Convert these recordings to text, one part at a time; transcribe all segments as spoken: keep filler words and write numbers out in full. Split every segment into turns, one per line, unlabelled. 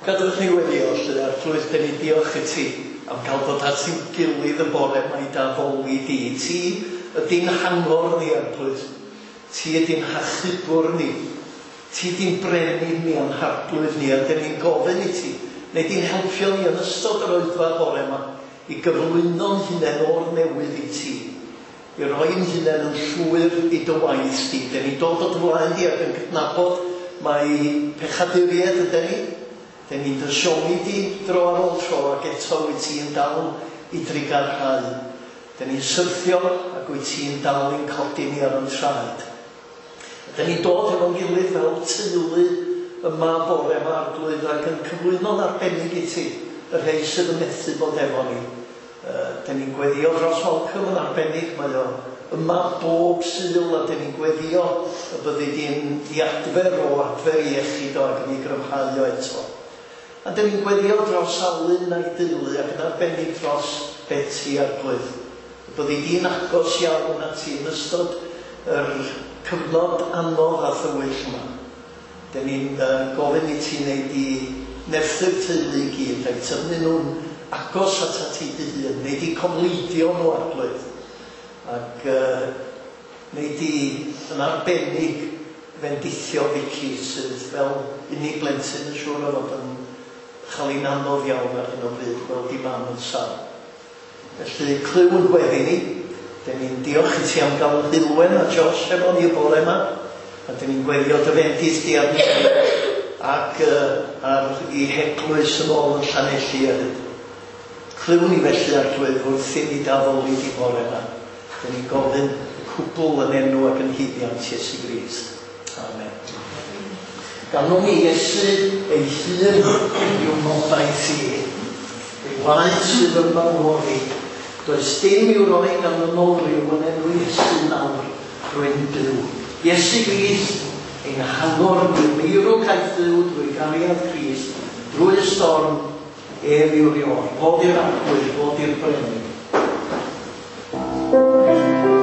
Gadewch ni weddio, lle Arglwydd, dan ni'n diolch i ti am cael dod at ein gilydd y bore yma i d'addoli di. Ti ydy'n hangor ni, Arglwydd. Ti ydy'n hachubwr ni. Ti ydy'n brenin ni a'n harglwydd ni, a dan ni'n gofyn i ti, neu di'n helpio ni yn ystod yr oedfa bore yma i gyflwyno'n hunain o'r newydd i ti, i roi'n hunain yn llwyr i dy waith di. Dan ni'n dod o dy flaen di ac yn cydnabod mai pechaduriaid ydyn ni. Dan ni'n dy siomi di dro ar ôl tro, ac eto wyt ti'n dal i drugarhau. Dan ni'n syrthio ac wyt ti'n dal i'n codi ni ar ein traed. Dan ni'n dod efo'n gilydd fel teulu yma bore yma, Arglwydd, ac yn cyflwyno'n arbennig i ti y rhai sydd yn methu bod efo ni. Uh, dan ni'n gweddio dros Malcolm yn arbennig, mae o yma bob Sul, a dan ni'n gweddio y byddi di'n i adfer o adfer i iechyd o ac yn ei gryfhau o eto. A dan ni'n gweddio dros Alun a'i deulu ac yn arbennig dros Betty, Arglwydd. Y byddi di'n agos iawn at ti yn ystod yr cyfnod anodd a thywyll yma. Dan ni'n uh, gofyn i ti wneud i nerthu'r teulu i gyd a'i tynnu nhw'n agos at ti dy hun, wneud i cofleidio nhw, Arglwydd, ac uh, wneud i yn arbennig fendithio Vicky sydd fel unig blentyn yn siŵr o fod yn chael ein anodd iawn ar hyn o bryd, gweld i mam yn sâl. Felly clyw yn gweddi ni. Dan ni'n diolch i ti am gael Dilwen a Josh efo ni y bore yma, a dan ni'n gweddio dy fendith di arnyn nhw ac uh, ar i heglwys yn ôl yn Llanelli hefyd. Clyw ni felly, Arglwydd, wrth i ni d'addoli di bore yma. Dan ni'n gofyn y cwbl yn enw ac yn haeddiant Iesu Grist. Amen. Ganwn ni Iesu ei hun yw ngobaith i. Ei waed sydd yn mawr i. Does dim i'w roi gan y nolryw yn enw Iesu nawr rwy'n byw. Iesu Grist, ein hangor ni, meirw caiff fyw drwy gariad Crist, drwy y storm, ef yw'r Ior. Fod i'r Arglwydd, fod i'r Brenin.
Thank you.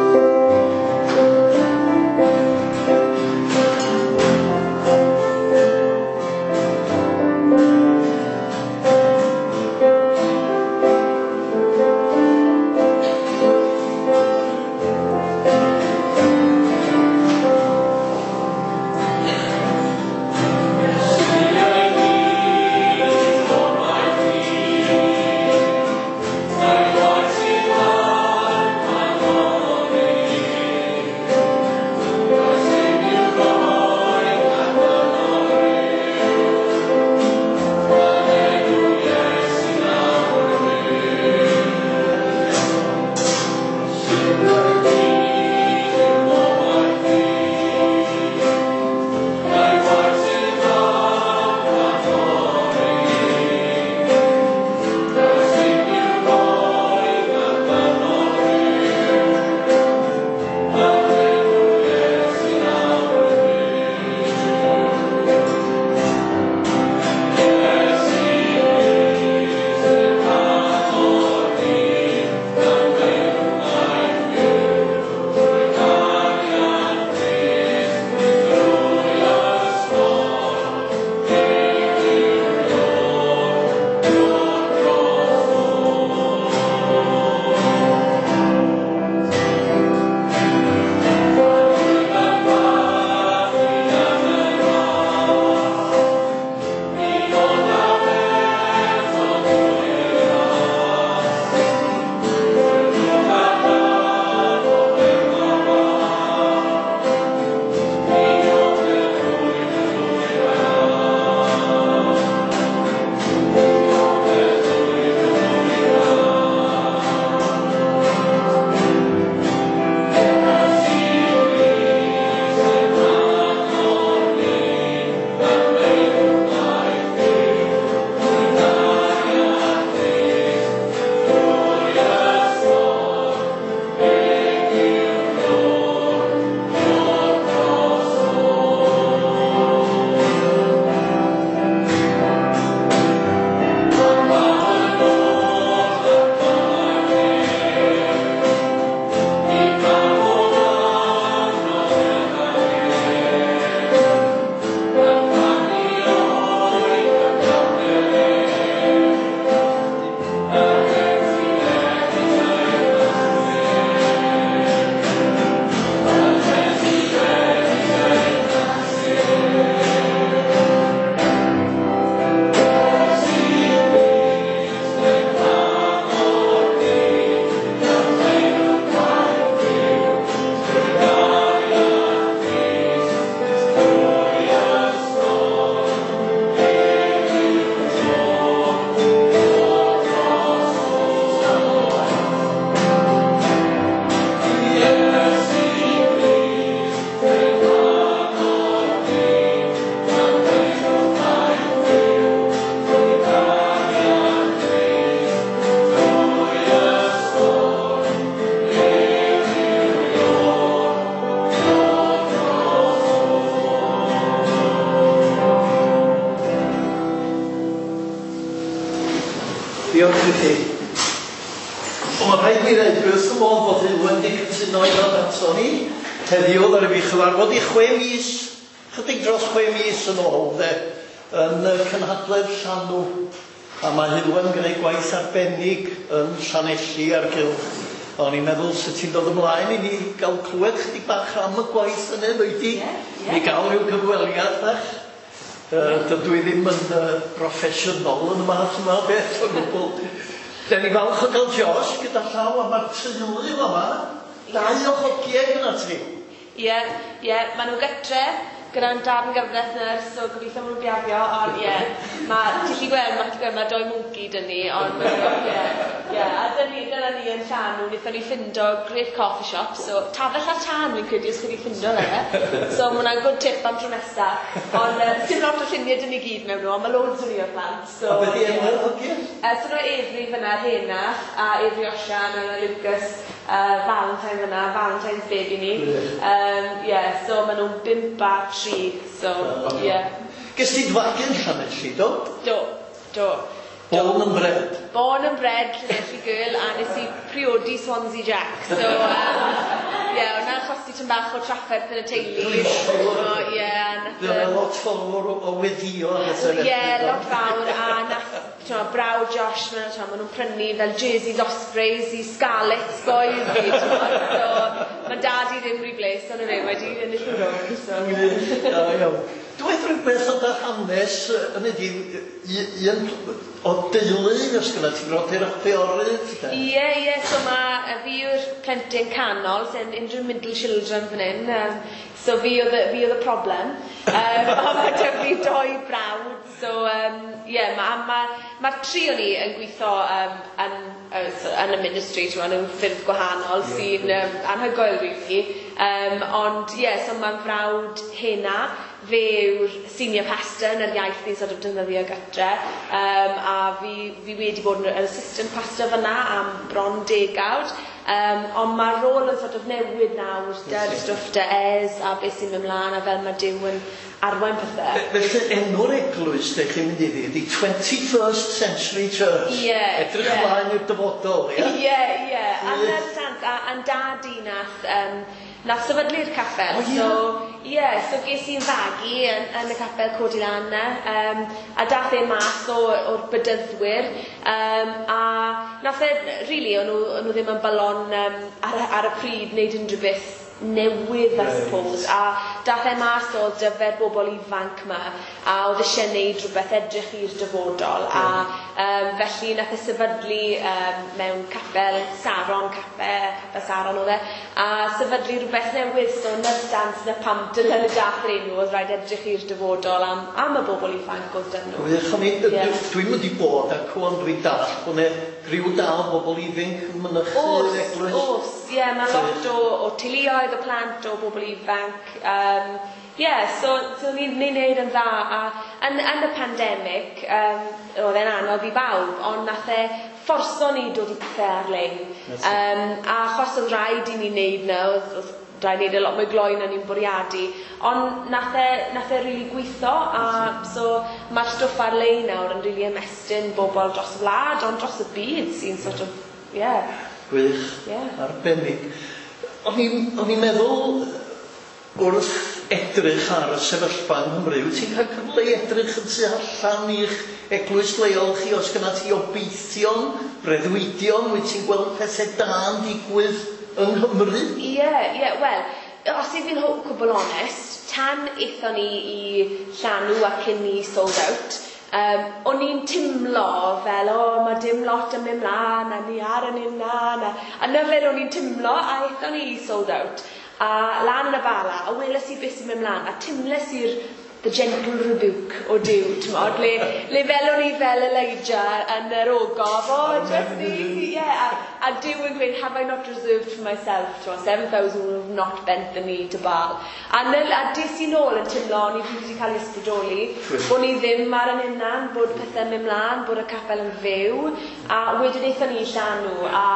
Diolch i chi. O, mae rhaid mi ddweud, dwi wrth fy modd bod Heulwen wedi cytuno i ddod ato ni. Heddiw, ddaru fi chyfarfod i chwe mis, chydig dros chwe mis yn ôl, de, yn y cynhadledd Llanw. A mae Heulwen yn gwneud gwaith arbennig yn Llanelli a'r cylch. O'n i'n meddwl sut ti'n dod ymlaen i ni gael clywed chydig bach am y gwaith yna, ddweud di?
Ie, ie.
Ni gael rhyw gyfweliad bach. Uh, dydw i ddim yn uh, broffesiynol yn y math yma o beth o gwbl. Da ni falch o gael Josh gyda llaw a mae'r teulu yma. Dau o hogiau gyda ti.
Ie, ie, maen nhw gytre gyda'n darn gyfraith nyrs, so gobeithio maen nhw'n biafio, ond ie, ma, ti'n gallu gweld, ma' ti'n gweld, mae doi mwnci dyn ni, ond ma' nhw, ie, ie, a dyn ni, dyna ni yn Llanw, wnaethon ni ffindo great coffee shop, so tafell ar tân fi'n credu os chi wedi ffindo fe, so ma' hwnna'n good tip am tro nesa, ond uh, dim lot o lluniau dyn ni gyd mewn nhw, ond mae loads o ni o'r plant, so...
A beth i enw'r hogiau?
Uh, so nhw Avery fyna, Henach, a Avery Osian, a Lucas, uh, Valentine fyna, Valentine's baby ni. Um, yeah, so maen nhw'n bump a tri, so, yeah.
Ges ti fagu yn Llanelli, do?
Do, do.
Born and bred.
Born and bred Llanelli girl, a nes i priodi Swansea Jack, so, um, yeah, hwnna'n achosi tipyn bach o trafferth yn y teulu.
Dwi'n siŵr.
So, yeah, nath,
Fydd yna lot fawr o, o weddio a bethau felly,
Ie,
do?
lot fawr, a nath, t'mo, brawd Josh, ma' t'mo, ma' nhw'n prynu fel jerseys Ospreys i Scarlets boys fi, t'mo, so ma' dad i ddim rhy bles, ond fe wedi ennill nhw rownd, so.
Wych, da iawn. Dweud rhywbeth o dy hanes yy, yn ydi, un o deulu, os gyda ti brodyr a chwiorydd? de?
Ie, ie, so ma' fi yw'r plentyn canol, sy'n unrhyw middle children fan hyn, um, so fi oedd y, fi oedd y problem. Um, ond mae 'da fi doi brawd, so um, ie, ma' ma' ma'r tri o ni yn gweithio um, yn, uh, so, yn y ministry, t'mo, mewn ffyrdd gwahanol sy'n um, anhygoel really. Um, ond ie, yeah, so ma'n frawd hena, fe yw'r senior pastor yn yr iaith ni'n sort of defnyddio gytre, um, a fi, fi wedi bod yn assistant pastor fyna am bron degawd, um, ond mae'r rôl yn sort of newid nawr, dy'r stwff dy Ez a beth sy'n mynd mlaen a fel mae Duw yn arwain pethau.
Fe- Felly enw'r eglwys lle chi'n mynd iddi ydi twenty-first Century Church.
Ie,
Edrych
ie.
ymlaen i'r dyfodol, ie?
Ie, ie. A na'r sans, a a'n dad i nath, um, nath sefydlu'r capel.
O, ie?
So, ie, yeah, so ges i'n fagu yn, yn y capel Codi Lan 'na, um, a dath e mas o, o'r bedyddwyr, um, a nath e, really, o'n nhw, o'n nhw ddim yn balon um, ar, y- ar y pryd wneud unrhyw beth newydd, I
Reit.
suppose, a dath e mas o dyfer bobl ifanc ma, a oedd eisiau gwneud rhywbeth edrych i'r dyfodol, a um, felly nath e sefydlu um, mewn capel Saron, capel, capel Saron oedd e, a sefydlu rhywbeth newydd, so na'r stans na pam dyna le dath yr enw, oedd rhaid edrych i'r dyfodol am, am y bobl ifanc oedd dyn nhw.
Wych, o'n i,
Ie.
dwi'n mynd i bod ac o'n dwi'n dall bod 'ne griw da o bobl ifanc yn mynychu'r
Oes,
eglwys.
oes, ie, yeah, mae lot o, o teuluoedd, o plant, o bobl ifanc. Um, yeah, so, so ni'n ni neud yn dda. A yn, yn y pandemig, um, oedd e'n anodd i bawb, ond nath e fforso ni dod i pethau ar-lein.
That's it.
Um, a achos oedd rhaid i ni wneud na, oedd, oedd rhaid wneud e lot mwy gloi na ni'n bwriadu. Ond nath e, nath e really gweithio, a so mae'r stwff ar-lein nawr yn really ymestyn bobl dros y wlad, ond dros y byd sy'n sort of, yeah.
Gwych,
Ie.
arbennig. O'n i'n o'n i'n meddwl wrth edrych ar y sefyllfa yng Nghymru, wyt ti'n cael cyfle i edrych yn tu allan i'ch eglwys leol chi, os gyda ti obeithion, breuddwydion, wyt ti'n gweld pethau da yn digwydd yng Nghymru?
Ie, ie, wel, os i fi'n cwbl onest, tan aethon ni i Llanw a cyn ni sold out, um, o'n i'n timlo fel, o, mae dim lot yn mynd mlaen, a ni ar yn unan, a, a na fel o'n i'n timlo, a aethon ni i sold out. A lan yn y Bala, a weles i beth sy'n mynd mlaen, a timles i'r the gentle rebuke o Duw, t'mod, le, le fel o'n i fel Elijah yn yr ogof, o, just ni, ie, a, a Duw yn gweud, "Have I not reserved for myself, t'mod, seven thousand who have not bent the knee to Baal?" A, nyl, a des i nôl yn teimlo, o'n i wedi cael ei ysbrydoli, bod ni ddim ar yn hunan, bod pethau'n mynd mlaen, bod y capel yn fyw, a wedyn aethon ni i Llanw, a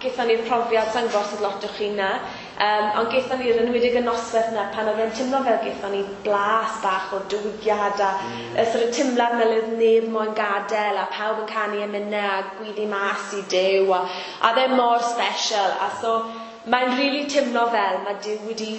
gaethon ni'r profiad, sa'n gwybod os oedd lot o chi na, Um, ond gaethon ni'r enwedig y noswaith yna pan oedd e'n teimlo fel gaethon ni blas bach o diwygiad a mm. y sort of teimlad fel oedd neb moyn gadael a pawb yn canu emynau a gwyddi mas i Duw a, a oedd e mor special a so mae'n really teimlo fel mae Duw wedi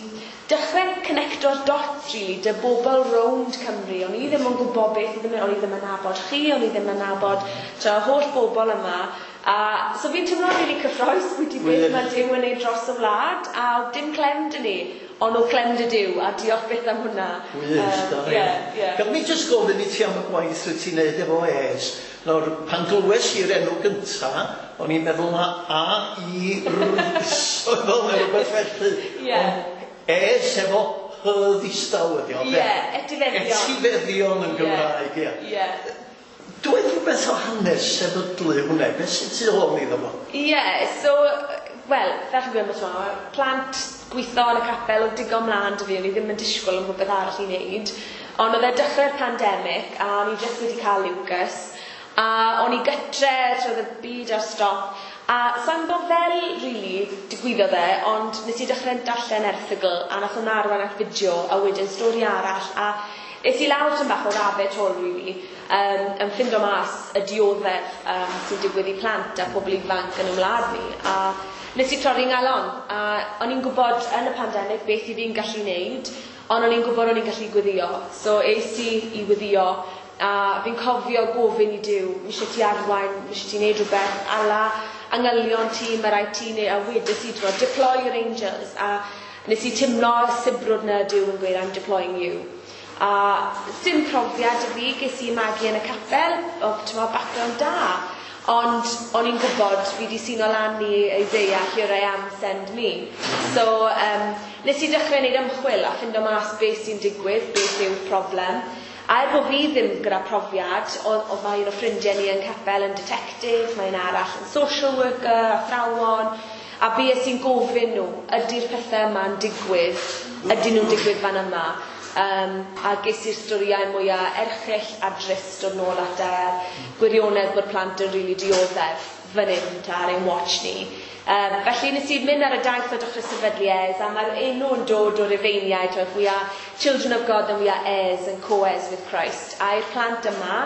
dechrau connecto'r dots really dy bobl rownd Cymru. O'n i ddim yn gwybod beth oedd yn mynd, o'n i ddim yn nabod chi, o'n i ddim yn nabod tra, holl bobl yma. A so fi'n teimlo really cyffrous wedi beth mae Duw yn neud dros y wlad a oedd dim clem 'da ni, ond oedd clem 'da Duw a diolch byth am hwnna.
Wych, da
um, yeah, yeah.
Gad mi jyst gofyn i ti am y gwaith wyt ti'n neud efo Heirs. Nawr, pan glywes i'r enw gynta, o'n i'n meddwl na A I R oedd o, neu rhywbeth felly.
Ie.
Ond Heirs efo H ddistaw ydi o,
Ie, etifeddion.
Etifeddion yn Gymraeg, ie.
Ie.
Dweud rhywbeth o hanes sefydlu hwnna, beth sy'n tu ôl iddo fo?
Ie, yeah, so, wel, fel chi'n gwybod, mae plant gweithio yn y capel oedd digon mlaen 'da fi, o'n i ddim yn disgwyl am rhywbeth arall i wneud. Ond oedd e dechrau'r pandemig, a o'n i jyst wedi cael Lucas, a o'n i gytre, troedd y byd ar stop, a sa'n gwybod fel, really, digwyddodd e, ond nes i dechrau darllen erthygl, a nath hwnna arwain at fideo, a wedyn stori arall, a es i lawr tam bach o rabbit hole, really, um, yn ffindo mas y dioddef um, sy'n digwydd i plant a pobl ifanc yn y wlad ni. A nes i torri ngalon, a o'n i'n gwybod yn y pandemig beth i fi'n gallu wneud, ond o'n i'n gwybod o'n i'n gallu gweddio. So es i i weddio, a fi'n cofio gofyn i Duw, mi eisiau ti arwain, mi eisiau ti wneud rhywbeth, ala angylion ti, mae rhaid ti neu, a wedes i, t'mod, deploy your angels, a nes i timlo sibrwd na Duw yn gweud, I'm deploying you. A sim profiad i fi, ges i magu yn y capel, o t'mod, background da. Ond o'n i'n gwybod fi di sino lan i Isaiah, here I am, send me. So um, nes i dechrau wneud ymchwil a ffindo mas beth sy'n digwydd, beth yw'r problem. A er bod fi ddim gyda profiad, oedd, oedd mae un o ffrindiau ni yn capel yn detective, mae un arall yn social worker, athrawon, a bues i'n gofyn nhw, ydy'r pethau yma'n digwydd, ydyn nhw'n digwydd fan yma? Um, a ges i'r storïau mwyaf erchyll a drist dod nôl at y gwirionedd bod plant yn rili dioddef fan hyn ta ar ein watch ni. Um, felly nes i mynd ar y daith o dechrau sefydlu Heirs, a mae'r enw yn dod o'r Rufeiniaid, if we are children of God and we are heirs and co-heirs with Christ. A i'r plant yma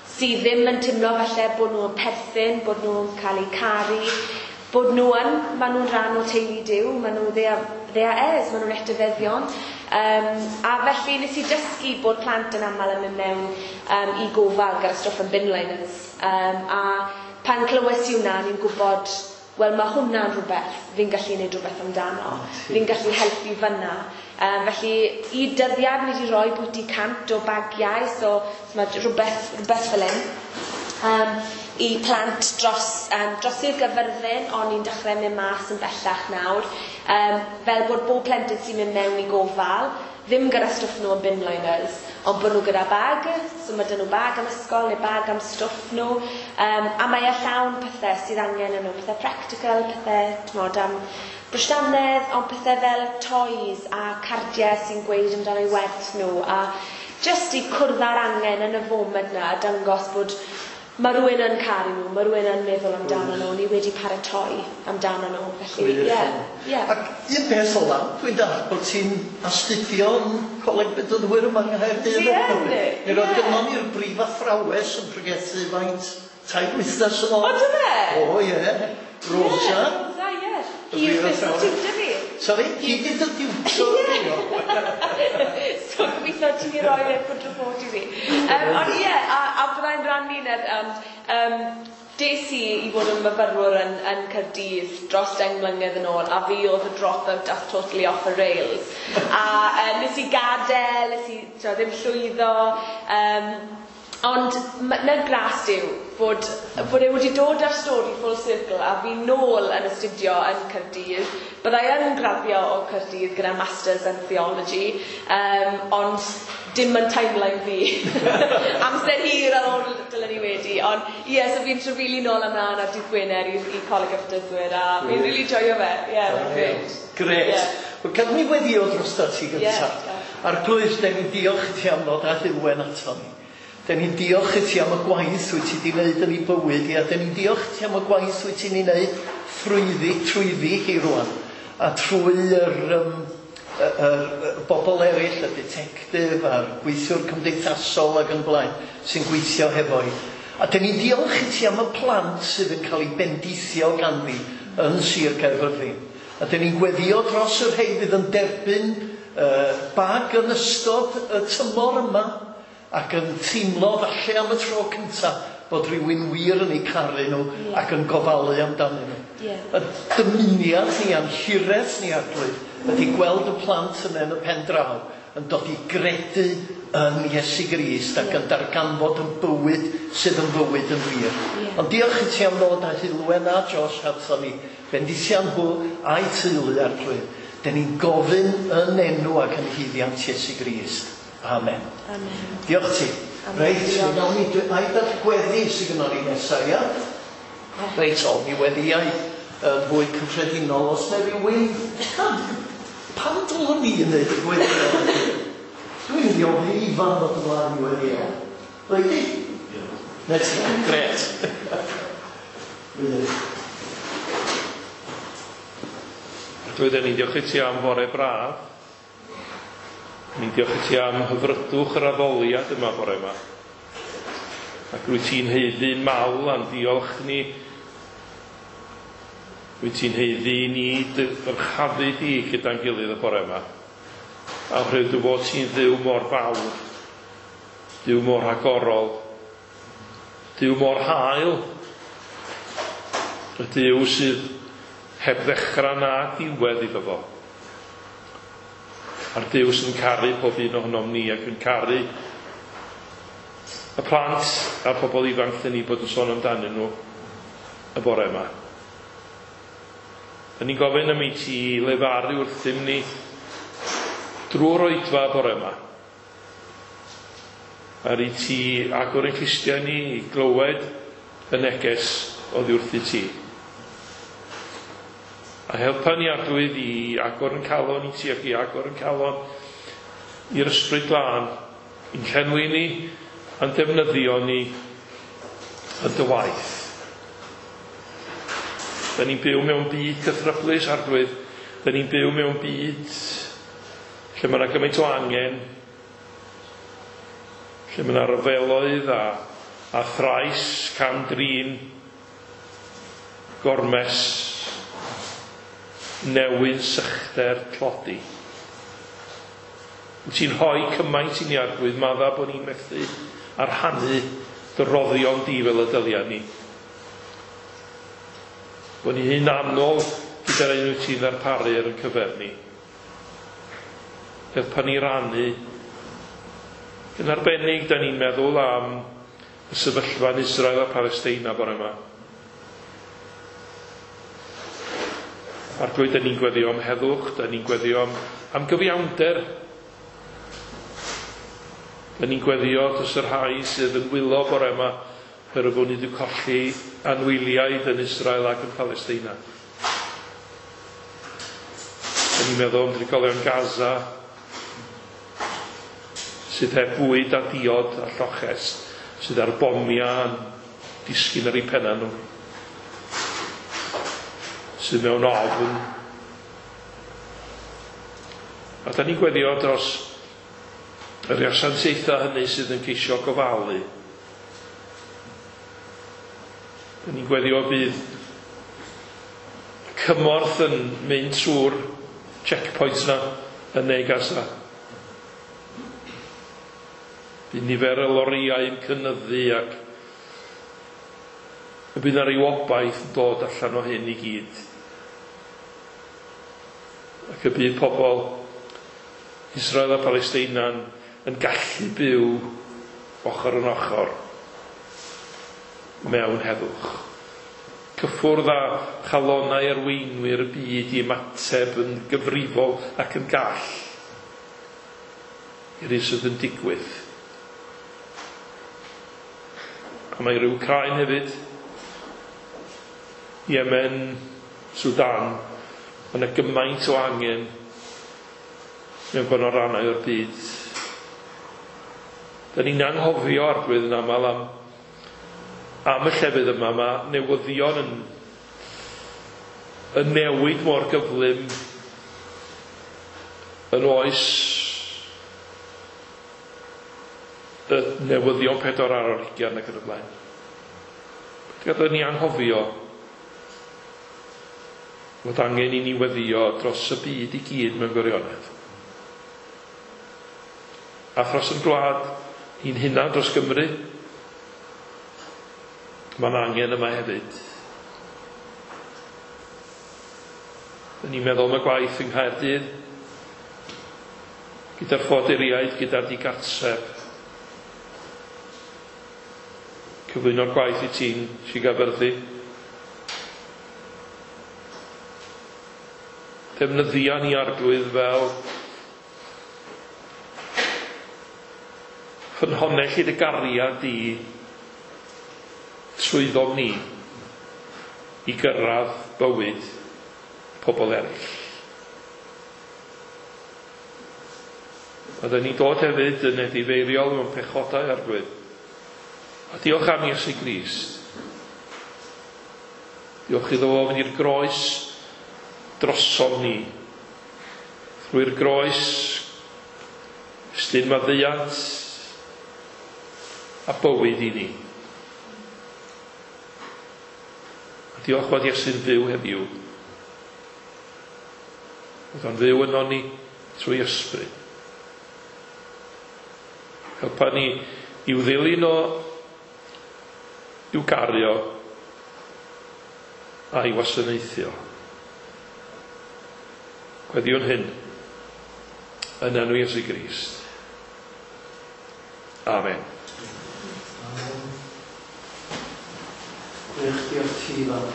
sydd ddim yn teimlo falle bod nhw'n perthyn, bod nhw'n cael eu caru, bod nhw yn, maen nhw'n rhan o teulu Duw, maen nhw, they are, they are heirs, maen nhw'n etifeddion. Um, a felly nes i dysgu bod plant yn aml yn mynd mewn um, i gofal gyda stwff yn bin liners. Um, a pan clywes i hwnna, ni'n gwybod, wel mae hwnna'n rhywbeth fi'n gallu gwneud rhywbeth amdano. Fi'n gallu helpu fyna. Um, felly i dyddiad ni wedi rhoi bwyty cant o bagiau, so, so mae rhywbeth, rhywbeth fel hyn. Um, i plant dros, um, dros i'r Gyfyrddin, ond ni'n dechrau mynd mas yn bellach nawr, um, fel bod bob plentyn sy'n mynd mewn i gofal, ddim gyda stwff nhw yn bin liners, ond bod nhw gyda bag, so mae dyn nhw bag am ysgol neu bag am stwff nhw, um, a mae e llawn pethau sydd angen yn nhw, pethau practical, pethau, t'mod, am brwsh dannedd, ond pethau fel toys a cardiau sy'n gweud amdano eu werth nhw, a just i cwrdd â'r angen yn y foment na, a dangos bod mae rhywun yn caru nhw, mae rhywun yn meddwl amdano nhw, ni wedi paratoi amdano nhw. Felly, ie. Yeah, yeah.
Ac un peth ola, dwi'n dallt bod ti'n astudio yn Coleg Bedyddwyr yma yng Nghaerdydd.
Dwi yn,
Mi roedd
ie.
gynnon ni'r brif athrawes yn pregethu faint tair wythnos yn ôl.
O, do fe?
O, ie. Rosa.
Ie, Rosa, ie.
Y
Hi yw'r
brif
personal
athrawes.
tutor fi.
Sorry, hi di dy diwtor.
So gobeithio ti'n i roi e good report i fi. Um, ond ie, a, a byddai'n rannu ner, ond um, des i i fod yn myfyrwr yn, yn Caerdydd dros deng mlynedd yn ôl, a fi oedd y drop-out that's totally off the rails. A uh, nes i gadael, nes i t'mo, ddim llwyddo, um, ond na gras yw bod, bod e wedi dod â'r stori full circle a fi nôl yn astudio yn Caerdydd. Byddai yn graddio o Caerdydd gyda Masters in Theology, um, ond dim yn timeline fi. Amser hir ar ôl dylen ni wedi, ond ie, yeah, so fi'n trafeili nôl ymlaen ar dydd Gwener i, i Coleg y Bedyddwyr, a fi'n really joio fe. Ie, yeah, mae'n great.
Gret.
Ie.
Wel, gad mi weddio drosta ti gyntaf.
Ie.
Arglwydd, den ni'n diolch i ti am ddod â Heulwen ato ni. Den ni'n diolch i ti am y gwaith wyt ti wedi wneud yn ei bywyd hi, a den ni'n diolch i ti am y gwaith wyt ti'n ei wneud thrwyddi, trwyddi hi rwan. a trwy yr, um, y, y, y bobl eraill, y ditectif a'r gweithiwr cymdeithasol ac yn blaen, sy'n gweithio hefo hi. A dyn ni'n diolch i ti am y plant sydd yn cael eu bendithio ganddi yn Sir Gaerfyrddin. A dyn ni'n gweddio dros y rhai fydd yn derbyn uh, bag yn ystod y tymor yma ac yn teimlo falle am y tro cyntaf bod rhywun wir yn eu caru nhw yeah. ac yn gofalu amdanyn nhw.
Yeah.
Y dymuniad ni a'n hiraeth ni, Arglwydd, ydy gweld y plant yna yn y pen draw yn dod i gredu yn Iesu Grist ac yn darganfod yn bywyd sydd yn fywyd yn wir.
Yeah.
Ond diolch i ti am ddod â Heulwen a Josh ato ni, bendithia nhw a'i teulu, Arglwydd. Dyn ni'n gofyn yn enw ac yn haeddiant Iesu Grist. Amen.
Amen.
Diolch ti.
Amen.
Reit, mi gawn ni, ai dall gweddi sydd gynnon ni nesaf, ia? Reit, o, mi weddiau yn fwy cyffredinol. Os na rhywun, pam dylwn ni yn neud y gweddi? Dwi'n mynd i ofyn i Ifan ddod ymlaen i weddio. Reit di? Na ti, gret. Wych.
Arglwydd, ni'n diolch i ti am fore braf. Ni'n diolch i ti am hyfrydwch yr addoliad yma bore yma. Ac rwyt ti'n haeddu mawl a'n diolch ni. Rwyt ti'n haeddu ni ddyrchafu di gyda'n gilydd y bore yma. A oherwydd dy fod ti'n Dduw mor fawr, Duw mor rhagorol, Duw mor hael, y Duw sydd heb ddechrau na diwedd iddo fo. A'r Duw sy'n caru pob un ohonom ni ac yn caru y plant a'r pobl ifanc dyn ni bod yn sôn amdanyn nhw y bore yma. Dyn ni'n gofyn am i ti lefaru wrthym ni drwy'r oedfa y bore yma. Ar i ti agor ein clustiau ni i glywed y neges oddi wrth i ti. A helpa ni, Arglwydd, i agor yn calon i ti ac i agor yn calon i'r Ysbryd Glân, i'n llenwi ni a'n defnyddio ni yn dy waith. Da ni'n byw mewn byd cythryblus, Arglwydd. Da ni'n byw mewn byd lle mae yna gymaint o angen, lle mae yna ryfeloedd a, a thrais, cam-drin, gormes, newyn, sychder, tlodi. Wyt ti'n rhoi cymaint i ni, Arglwydd, madda bod ni'n methu a rhannu dy roddion di fel y dylia ni. Bod ni'n hunanol gyda'r un wyt ti'n ddarparu ar ein cyfer ni. Helpa ni rannu. Yn arbennig, da ni'n meddwl am y sefyllfa yn Israel a Palesteina bore yma. Arglwydd, da ni'n gweddio am heddwch, da ni'n gweddio am, am gyfiawnder. Da ni'n gweddio dros y rhai sydd yn wylo bore yma, oherwydd bod ni wedi colli anwyliaid yn Israel ac yn Palesteina. Da ni'n meddwl am drigolion Gaza, sydd heb fwyd a diod a lloches, sydd ar bomiau yn disgyn ar eu penna nhw, sydd mewn ofn. A da ni'n gweddio dros yr asiantaethau hynny sydd yn ceisio gofalu. Da ni'n gweddio bydd cymorth yn mynd trwy'r checkpoints na yn ne Gaza. Bydd nifer y loriau yn cynyddu ac y bydd yna ryw obaith yn dod allan o hyn i gyd. Ac y bydd pobl Israel a Palesteina yn gallu byw ochr yn ochr mewn heddwch. Cyffwrdd â chalonnau arweinwyr y byd i ymateb yn gyfrifol ac yn gall i'r hyn sydd yn digwydd. A mae rhyw Wcráin hefyd, Yemen, Sudan, mae yna gymaint o angen mewn gwahanol rannau o'r byd. Da ni'n anghofio, Arglwydd, yn aml am, am y llefydd yma. Mae newyddion yn, yn newid mor gyflym. Yn oes y newyddion pedwar ar yr hugain ac yn y blaen. Gadael ni anghofio fod angen i ni weddio dros y byd i gyd mewn gwirionedd. A thros yn gwlad ni'n hunan dros Gymru, mae'n angen yma hefyd. Dyn ni'n meddwl am y gwaith yng Nghaerdydd, gyda'r ffoaduriaid, gyda'r digartref. Cyflwyno'r gwaith i ti'n Sir Gaerfyrddin. Defnyddia ni Arglwydd fel ffynhonnell i dy gariad di trwyddom ni i gyrraedd bywyd pobl eraill. A dyn ni'n dod hefyd yn edifeiriol mewn pechodau, Arglwydd. A diolch am Iesu Grist. Diolch iddo fo fynd i'r groes drosom ni. Trwy'r groes, estyn maddeuant a bywyd i ni. A diolch fod Iesu'n fyw heddiw. Bod o'n fyw yno ni trwy ysbryd. Helpa ni i'w ddilyn o, i'w gario a'i wasanaethio. Gweddiwn hyn yn enw Iesu Grist. Amen.
Amen. Gwych, diolch ti, Ifan.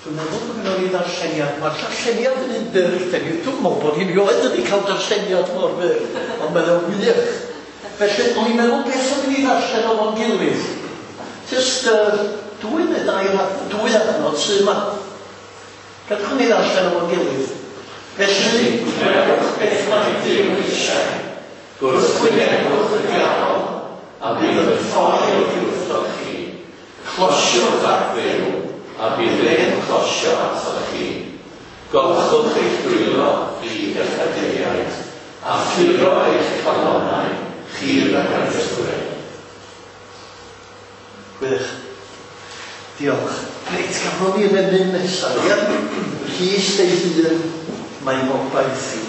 Dwi'n meddwl bod gynnon ni ddarlleniad. Mae'r darlleniad yn un byr, heddiw. Dwi'n meddwl bod hi'n rioed wedi cael darlleniad mor fyr, ond mae'n o'n wych. Felly, o'n i'n meddwl beth o'n i ddarllen o'n gilydd. Just uh, dwy neu dair, dwy adnod sydd yma. Gadwch ni ddarllen o'n gilydd. Felly, gwnewch beth mae Duw eisiau. Gwrthwynebwch y diafol, a bydd yn ffoi oddi wrthoch chi. Closiwch at Dduw, a bydd e'n closio atoch chi. Golchwch eich dwylo, chi bechaduriaid, a phuro eich calonnau, chi ragfarnwyr. Gwych. Diolch. Reit, gafon ni yn emyn nesaf, ia? Rhys ei hun, mae ngobaith i.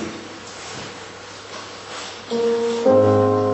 Thank you.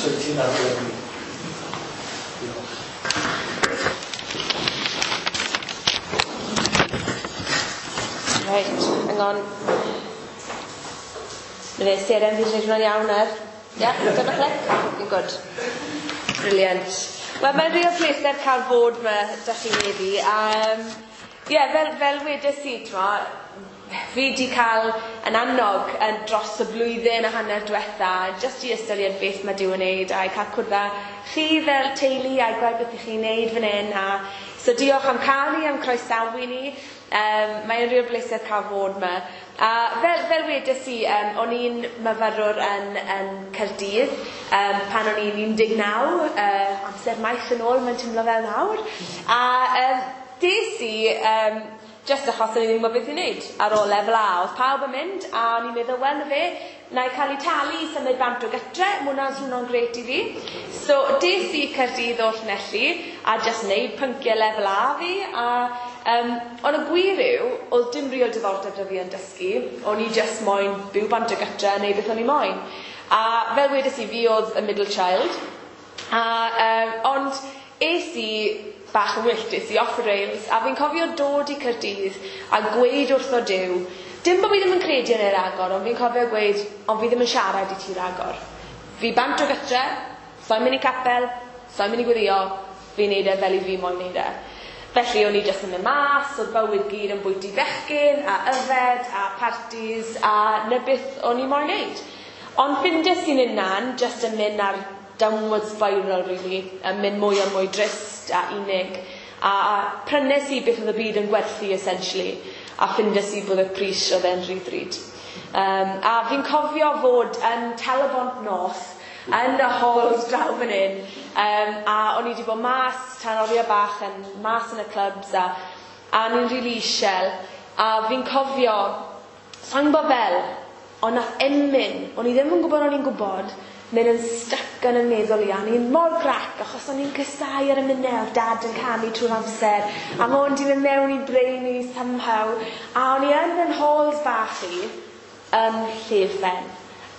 wyt ti'n arwain ni. Diolch.
Right, hang on. Mae fe seren fi wedi gwneud hwnna'n iawn ar. Ie, dyna clic. Fi'n good. Brilliant. Wel, mae'n real pleser cael bod yma 'da chi heddi. Um, ie, fel, fel wedes i, t'mo, fi wedi cael yn annog yn dros y blwyddyn a hanner diwetha, jyst i ystyried beth mae Duw yn neud, a i cael cwrdd â chi fel teulu a i gweld beth ych chi'n neud fan hyn. A, so diolch am cael ni, am croesawu ni. Um, mae'n real bleser cael fod yma. A fel, fel wedes i, um, o'n i'n myfyrwr yn, yn Caerdydd um, pan o'n i'n un deg naw, uh, amser maith yn ôl, mae'n teimlo fel nawr. A um, des i, um, just achos o'n i ddim yn gwybod beth i wneud ar ôl lefel A, oedd pawb yn mynd, a o'n i'n meddwl, wel na fe, na i cael ei talu i symud bant o gytre, ma' hwnna'n swnio'n grêt i fi. So des i Caerdydd o Llanelli, a just wneud pynciau lefel A fi, a um, ond y gwir yw, oedd dim real diddordeb 'da fi yn dysgu, o'n i just moyn byw bant o gytre a neud beth o'n i moyn. A fel wedes i, fi oedd y middle child, a, um, ond es i bach yn wyllt, es i off the rails, a fi'n cofio dod i Caerdydd a gweud wrtho Duw, dim bod fi ddim yn credu yn ei ragor, ond fi'n cofio gweud, ond fi ddim yn siarad i ti ragor. Fi bant o gytre, so'n mynd i capel, so'n mynd i gweddio, fi'n neud e fel i fi moyn neud e. Felly o'n i jyst yn mynd mas, oedd bywyd gyd yn bwyty bechgyn, a yfed, a parties, a 'na beth o'n i moyn neud. Ond ffindes i'n hunan, jyst yn mynd ar downward spiral, really, yn mynd mwy a mwy drist a unig. A, a prynes i beth oedd y byd yn gwerthu, essentially, a ffindes i bod y pris oedd e'n rhy ddrud. Um, a fi'n cofio fod yn Talybont North, yn y halls draw fan hyn, um, a o'n i wedi bod mas tan oriau bach yn mas yn y clubs, a, a o'n i'n rili isel, a fi'n cofio, sa'n gwybod fel, ond nath emyn, o'n i ddim yn gwybod o'n i'n gwybod, mynd yn stuck yn y meddwl i, a o'n i'n mor grac, achos o'n i'n casáu yr emynau, oedd dad yn canu trwy'r amser, a ma' hwn 'di mynd mewn i brain i somehow, a o'n i yn yn halls bach i, yn llefen,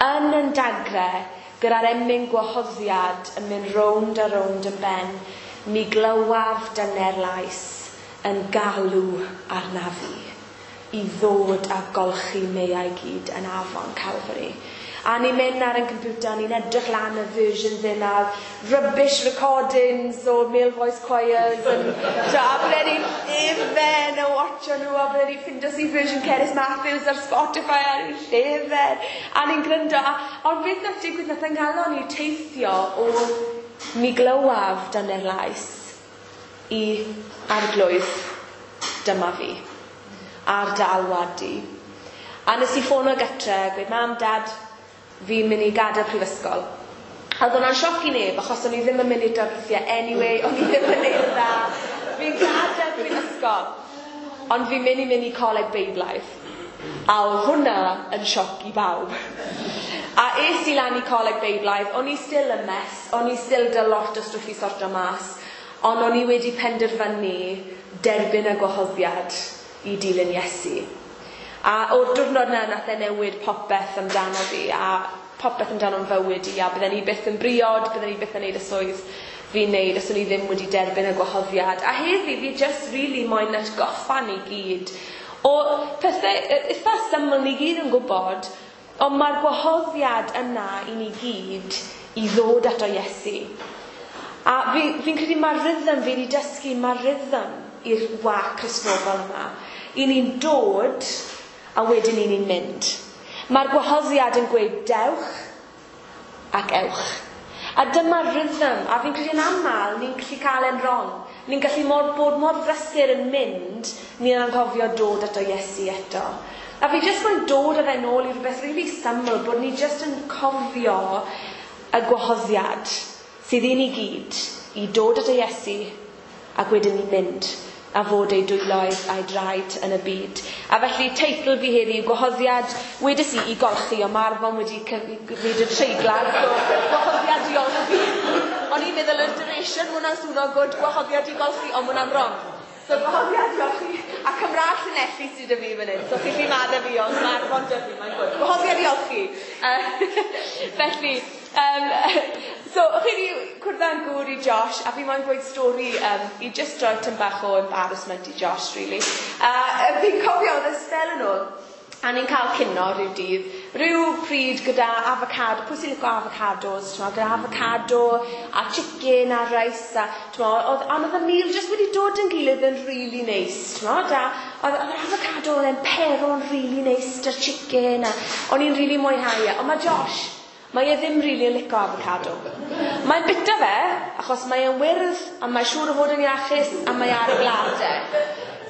yn yn dagre, gyda'r emyn gwahoddiad yn mynd rownd a rownd yn ben, mi glywaf dyner lais yn galw arna fi, i ddod a golchi meiau gyd yn afon Calvary. A ni'n mynd ar ein computer, ni'n edrych lan y versions yna, rubbish recordings o male voice choirs, and, so, a bydde ni'n llefen a watcho nhw, a bydde ni'n ffindo si version Cerys Matthews ar Spotify, a ni'n llefen, a ni'n gryndo. A, ond beth nath digwydd, nath yng nghalon ni teithio o mi glywaf dyner lais i arglwydd, dyma fi, ar dy alwad di. A nes i ffono gytre, gweud, mam, dad, fi'n mynd i gadael prifysgol. A oedd hwnna'n sioc i neb, achos o'n i ddim yn mynd i'r darlithiau anyway, o'n i ddim yn neud yn dda. Fi'n gadael prifysgol. Ond fi'n mynd i mynd i coleg Beiblaidd. A oedd hwnna yn sioc i bawb. A es i lan i coleg Beiblaidd, o'n i still yn mess, o'n i still 'da lot o stwff i sorto mas, ond o'n i wedi penderfynu derbyn y gwahoddiad i dilyn Iesu. A o'r diwrnod yna nath e newid popeth amdano fi, a popeth amdano'n fywyd i, a bydden i byth yn briod, bydden i byth yn neud y swydd fi'n neud os o'n i ddim wedi derbyn y gwahoddiad. A heddi fi just really moyn atgoffa ni gyd o pethau eitha syml ni gyd yn gwybod, ond mae'r gwahoddiad yna i ni gyd i ddod ato Iesu. A fi'n fi credu mae'r rhythm, fi wedi dysgu, mae'r rhythm i'r waith Cristnogol yma. I ni'n dod, a wedyn i ni'n mynd. Mae'r gwahoddiad yn gweud dewch ac ewch. A dyma'r rhythm, a fi'n credu yn aml ni'n gallu cael e'n wrong. Ni'n gallu mor, bod mor brysur yn mynd, ni'n anghofio dod ato Iesu eto. A fi jyst moyn dod â fe nôl i rhywbeth really syml, bod ni jyst yn cofio y gwahoddiad sydd i ni gyd i dod ato Iesu ac wedyn ni mynd a fod ei dwyloedd a'i draed yn y byd. A felly teitl fi heddi yw gwahoddiad, wedes i i golchi, ond mae'r Arfon wedi gwneud y treiglad, so gwahoddiad i olchi. O'n i'n meddwl yr duration, ma' hwnna'n swno good, gwahoddiad i golchi, ond ma' hwnna'n wrong. So gwahoddiad i olchi, a Cymraeg Llanelli sydd 'da fi fan hyn, so chi'n gallu maddau fi, ond mae Arfon 'da fi, mae'n good. Gwahoddiad i olchi. Uh, felly, um, so cwrdd â'n gŵr i Josh, a fi moyn gweud stori um, i just roi tym bach o embarrassment i Josh, really. Uh, fi'n cofio oedd y spel yn ôl, a ni'n cael cinio rhyw dydd, rhyw pryd gyda avocado, pwy sy'n licio avocados, t'mo, gyda avocado a chicken a rice, a, t'mo, oedd, ond oedd y meal just wedi dod yn gilydd yn really nice, t'mo, a oedd, oedd yr avocado oedd e'n pero'n really nice 'da'r chicken, a o'n i'n really mwynhau e. Ond mae Josh, mae e ddim really yn licio avocado. Mae'n bita fe, achos mae e'n wyrdd, a mae'n siŵr o fod yn iachus, a mae ar y blade.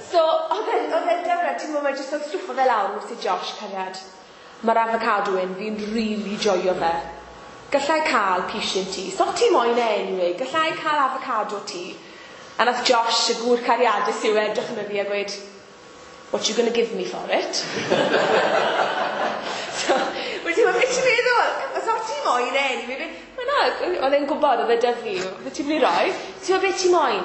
So, oedd e'n oedd e'n dyfra, ti'n gwybod, mae jyst yn stwffo fe lawr wrth i Josh, cariad. Mae'r avocado yn, fi'n really joio fe. Gallai cael pishin ti. So ti moyn e anyway, gallai cael avocado ti. A nath Josh, y gŵr cariadus yw, edrych yn fi a gweud, what you gonna give me for it? So, wedi ti'n beth ti'n meddwl? Os o ti moyn e anyway, wel na, oedd e'n gwybod oedd e 'da fi, beth ti'n mynd i roi? Ti'n gwybod beth ti moyn?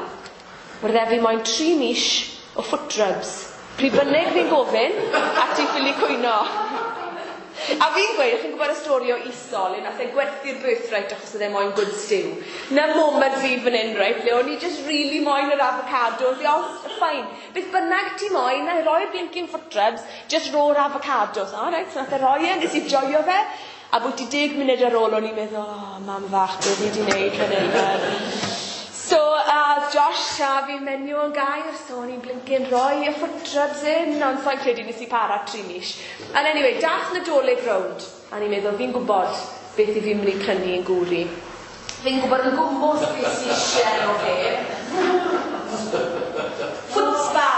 Wedodd e fi moyn tri mis o foot rubs. Pryd bynnag fi'n gofyn, a ti'n ffili cwyno. A fi'n gweud, chi'n gwybod y stori o Esau, le nath e gwerthu'r birthright achos oedd e moyn good stew. Na moment fi fan hyn, right, le o'n i just really moyn yr avocado. Fi, oh, fine. Beth bynnag ti moyn, na i roi'r blinking foot rubs, just ro'r avocados. O, right, so nath e roi e, nes i joio fe. A bwyti deg munud ar ôl, o'n i'n meddwl, oh, mam fach, beth fi wedi wneud fan hyn. So, uh, Josh a fi menyw yn gair, so o'n i'n blinking roi y foot rubs in, ond so'n credu nes i para tri mis. And anyway, dath Nadolig rownd, a ni'n meddwl, fi'n gwybod beth i fi'n mynd i prynu yn gŵr i. Fi'n gwybod yn gwmws beth sy'n eisiau o fe. Foot spa.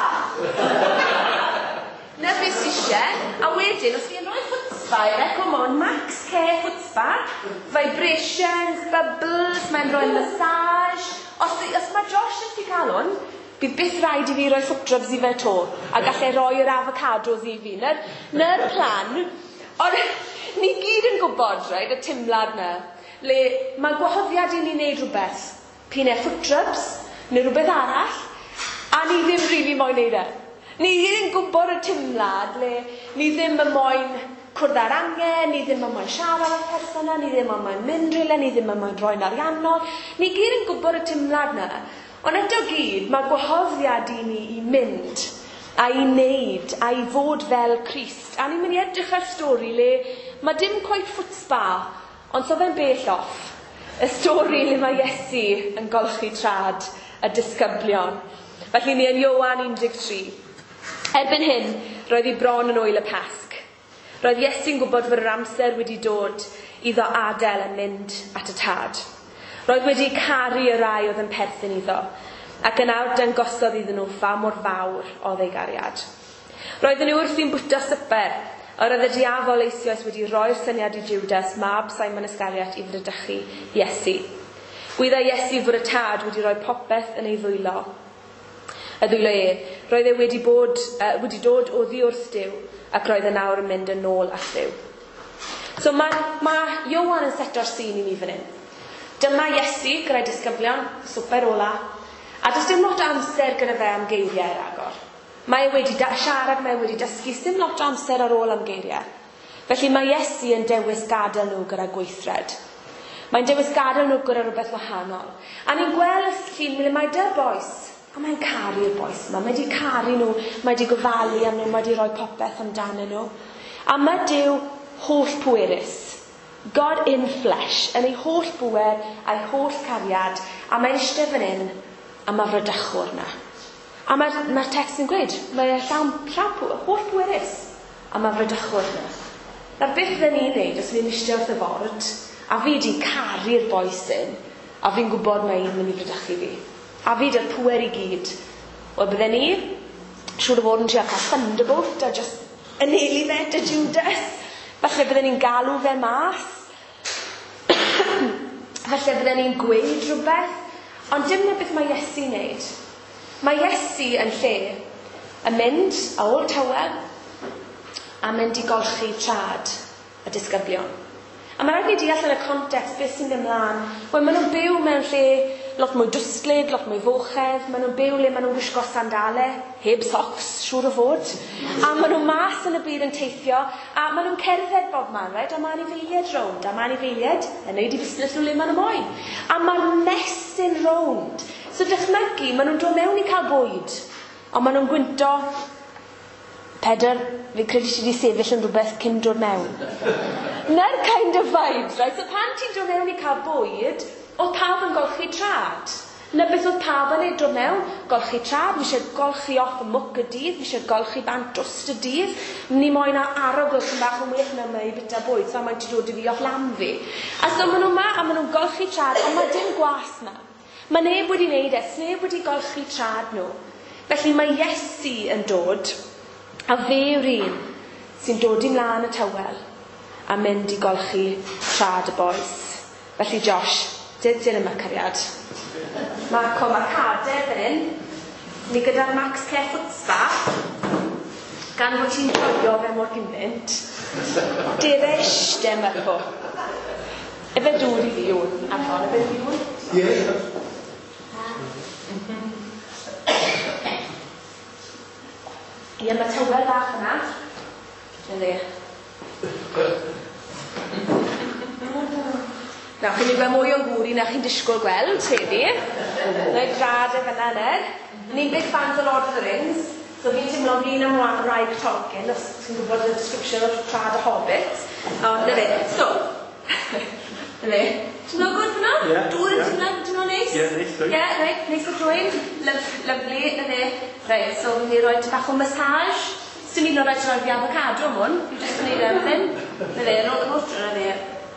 Na beth sy'n eisiau. A wedyn, os fi'n rhoi foot spa i fe, come on, Max Care Foot Spa, vibrations, bubbles, mae'n rhoi massage. Os, os mae Josh yn cael hwn, bydd byth rhaid i fi roi foot rubs i fe to, a gallai roi'r avocados i fi. Na'r, na'r plan, ond ni gyd yn gwybod, right, y timlad na, le mae gwahoddiad i ni wneud rhywbeth, p'un e foot rubs, neu rhywbeth arall, a ni ddim really moyn neud e. Ni gyd yn gwybod y timlad, le ni ddim yn moyn cwrdd â'r angen, ni ddim yn moyn siarad â'r person yna, ni ddim yn moyn mynd rhywle, ni ddim yn moyn roi'n ariannol. Ni gyd yn gwybod y timlad na. Ond eto gyd, mae gwahoddiad i ni i mynd a i wneud a i fod fel Crist. A ni'n mynd i edrych ar stori le mae dim quite foot spa, ond so fe'n bell off. Y stori le mae Iesu yn golchi trad y disgyblion. Felly ni yn Ioan un deg tri. Erbyn hyn, roedd hi bron yn wyl y Pasg. Roedd Iesu'n gwybod fod yr amser wedi dod iddo adael a mynd at y tad. Roedd wedi caru y rai oedd yn perthyn iddo, ac yn awr dangosodd iddyn nhw pha mor fawr oedd ei gariad. Roedden nhw wrthi'n bwyta swper, yr oedd y diafol eisoes wedi roi'r syniad i Judas, mab Simon Iscariot, i fradychu Iesu. Gwyddai Iesu fod y tad wedi rhoi popeth yn ei ddwylo. Y ddwylo e, roedd e wedi, bod, uh, wedi dod oddi wrth Duw, ac roedd e nawr yn mynd yn ôl at Dduw. So mae, mae Ioan yn seto'r sîn i ni fan hyn. Dyma Iesu gyda'i disgyblion, swper ola, a does dim lot o amser gyda fe am geiriau ragor. Mae e wedi siarad, mae e wedi dysgu, dim lot o amser ar ôl am geiriau. Felly mae Iesu yn dewis gadael nhw gyda gweithred. Mae'n dewis gadael nhw gyda rhywbeth wahanol. A ni'n gweld y llun le mae dy'r bois, a mae'n caru'r bois yma. Mae wedi caru nhw, mae wedi gofalu am nhw, mae wedi rhoi popeth amdanyn nhw. A mae Duw holl pwerus. God in flesh, yn ei holl bwer a'i holl cariad, a mae'n eistedd fan hyn, a mae fradychwr yna. A mae'r mae text yn gweud, mae llawn, llawn pwer, holl pwerus, a mae fradychwr yna. Nawr beth fydden ni'n neud os ni'n eistedd wrth y ford, a fi wedi caru'r bois hyn, a fi'n gwybod mae un mynd i fradychu fi. A fi dy'r pwer i gyd. Wel, bydden ni, siŵr o fod yn trio cael thunderbolt a just anelu fe dy Judas. Falle bydden ni'n galw fe mas. Falle bydden ni'n gweud rhywbeth. Ond dim na beth mae Iesu'n neud. Mae Iesu yn lle yn mynd a ôl tywel a mynd i golchi trad y disgyblion. A mae rhaid ni deall yn y context beth sy'n mynd mlaen. Wel, maen nhw'n byw mewn lle lot mwy dwslyd, lot mwy fochedd. Maen nhw'n byw le maen nhw'n gwisgo sandale, heb socks, siŵr o fod. A maen nhw mas yn y byd yn teithio, a maen nhw'n cerdded bob man, right? A mae anifeiliaid rownd, a mae anifeiliaid yn neud i busnes nhw le maen nhw moyn. A mae'r mess mynd rownd. So dychmygu, maen nhw'n dod mewn i cael bwyd, ond maen nhw'n gwynto, Pedr, fi'n credu ti wedi sefyll yn rhywbeth cyn dod mewn. Na'r kind of vibes, right? So pan ti'n dod mewn i cael bwyd, oedd pawb yn golchi trad. Na beth oedd pawb yn ei dod mewn, golchi trad, mi eisiau golchi off y mwc y dydd, mi eisiau golchi bant dwst y dydd, ni moyn arogl sy'n bach yn well na mae i bita bwyd, so mae'n ti dod i fi off lam fi. A so maen nhw ma, a maen nhw'n golchi trad, ond mae dim gwas ma. Mae neb wedi wneud e, sneb wedi golchi trad nhw. Felly mae Iesu yn dod, a fe yw'r un sy'n dod i mlaen y tywel a mynd i golchi trad y bois. Felly Josh, dyd dyn yma cariad. Mae co, mae cader fan hyn. Ni gyda'r Max Care Foot Spa. Gan fod ti'n joio fe mor gymaint. Dere eiste Marco. Efe dŵr i fi hwn, Arfon, efe fi hwn?
Ie.
Ie, mae tywel bach yna. Na dde. Nawr, chi'n mynd gweld mwy o'n gŵr i na chi'n disgwyl gweld heddi. Rhaid drad e fyna, ned. Ni'n big fans o Lord of the Rings, so fi'n teimlo fi'n am wraig Tolkien, os ti'n gwybod y description o'r trad y Hobbit. Ond, na fe. So, na fe. Ti'n meddwl gwrdd fyna?
Ie.
Dŵr yn teimlo, ti'n meddwl neis?
Ie, neis.
Ie, reit, neis o drwy'n. Lovely, na fe. Reit, so fi'n rhoi bach o massage. Sdim un o'r rhaid rhoi fi avocado am hwn. Fi jyst yn neud everything. Na fe, ro, ro, na fe.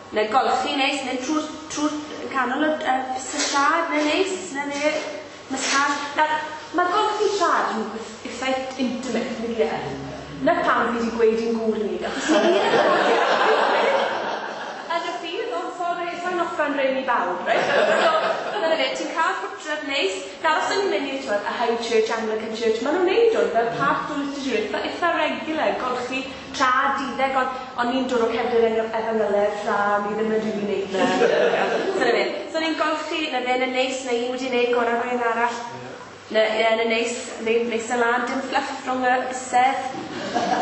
Na golchi neis, neu trwy'r trwy canol y uh, siad, neu neis, na fe. Massage. Nawr, mae golchi siad yn rhywbeth eitha intimate, nag yw e? Na pam fi wedi gweud i'n gŵr ni, achos ni gyd yn Yn y ffydd, ond sorry, sa'n offan rhaid i bawb, right? So, dyna fe, ti'n cael ffwtrad neis. Nawr, os o'n i'n mynd i'r twyd, a High Church, Anglican Church, maen nhw'n neud hwn fel part o'r liturgy, eitha, eitha regular, golchi tra duddeg, ond on ni'n dod o cefndir efengyledd, tra ni ddim yn rili neud na. So, na fe. So, ni'n golchi, na fe, na neis, na un wedi neud gorau rhywun arall. Na, ie, na neis, neis na lan, dim fluff rhwng y bysedd.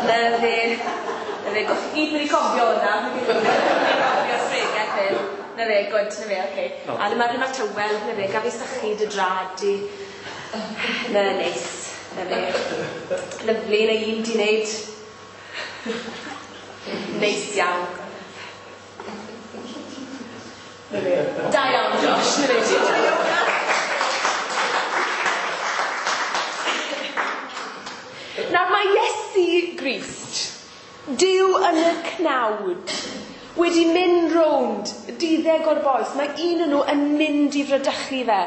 Na fe, na fe, golchi gyd mynd i cofio hwnna. Mynd i cofio sbregeth hyn. Na fe, good, na fe, oce. A na mae'r tywel, na fe, gaf i sychu dy drad i. Na, neis, na fe. Lyfli, na un di wneud. Neis iawn. Na fe. Da iawn, Josh, na fe, ti'n joio hwnna. Nawr mae Iesu Grist, Duw yn y cnawd, wedi mynd rownd duddeg o'r bois. Mae un o'n nhw yn mynd i fradychu fe.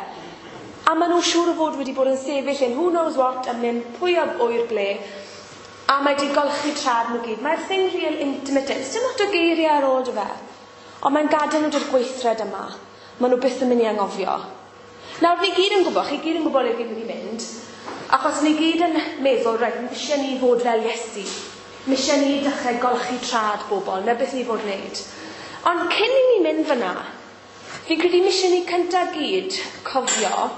A maen nhw siŵr o fod wedi bod yn sefyll in who knows what, yn mynd pwy a ŵyr ble. A mae wedi golchi trad nhw gyd. Mae'r thing real intimate. Dim lot o geiriau ar ôl dy fe. Ond mae'n gadael nhw drwy'r gweithred yma. Maen nhw byth yn mynd i anghofio. Nawr, fi gyd yn gwybod, chi gyd yn gwybod le fi'n mynd i mynd. Achos ni gyd yn meddwl, reit, mi eisiau ni fod fel Iesu. Mi eisiau ni dechrau golchi trad bobl, na beth ni fod wneud. Ond cyn i ni mynd fyna, fi'n credu mi eisiau ni cyntaf gyd cofio,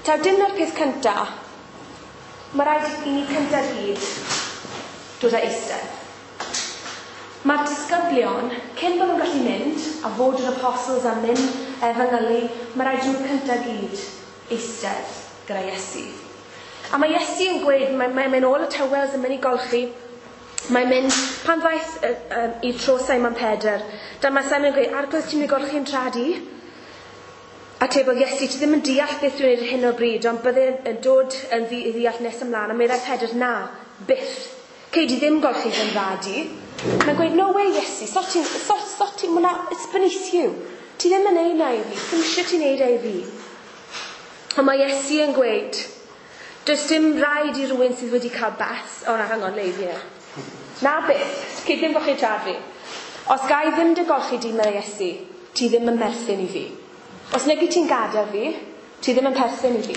taw dim na'r peth cyntaf, mae rhaid i ni cyntaf gyd dod â eistedd. Mae'r disgyblion, cyn bod nhw'n gallu mynd, a fod yr apostles a mynd efengylu, mae rhaid i nhw cyntaf gyd eistedd gyda Iesu. A mae Iesu yn gweud, mae'n mae, mae ôl y tywels yn mynd i golchi, mae'n mynd, pan ddaeth uh, um, i tro Simon Pedr, dyma Simon yn gweud, Arglwydd, ti'n mynd i golchi yn trad i? Atebodd Iesu, ti ddim yn deall beth dwi'n gwneud ar hyn o bryd, ond bydde yn dod yn ddi, i ddeall nes ymlaen. A meddai Pedr, na, byth. Cei di ddim golchi fy nrad i. Mae'n gweud, no way, Iesu, so ti'n, so, so ti'n, well, it's beneath you. Ti ddim yn neud na i fi, ddim eisiau ti'n neud e i fi. Ond mae Iesu yn gweud, does dim rhaid i rhywun sydd wedi cael bath, o na, hang on, leif i. Na byth, cei ddim golchi trad fi. Os ga i ddim dy golchi di, meddai Iesu, ti ddim yn merthyn i fi. Os nag i ti'n gadael fi, ti ddim yn perthyn i fi.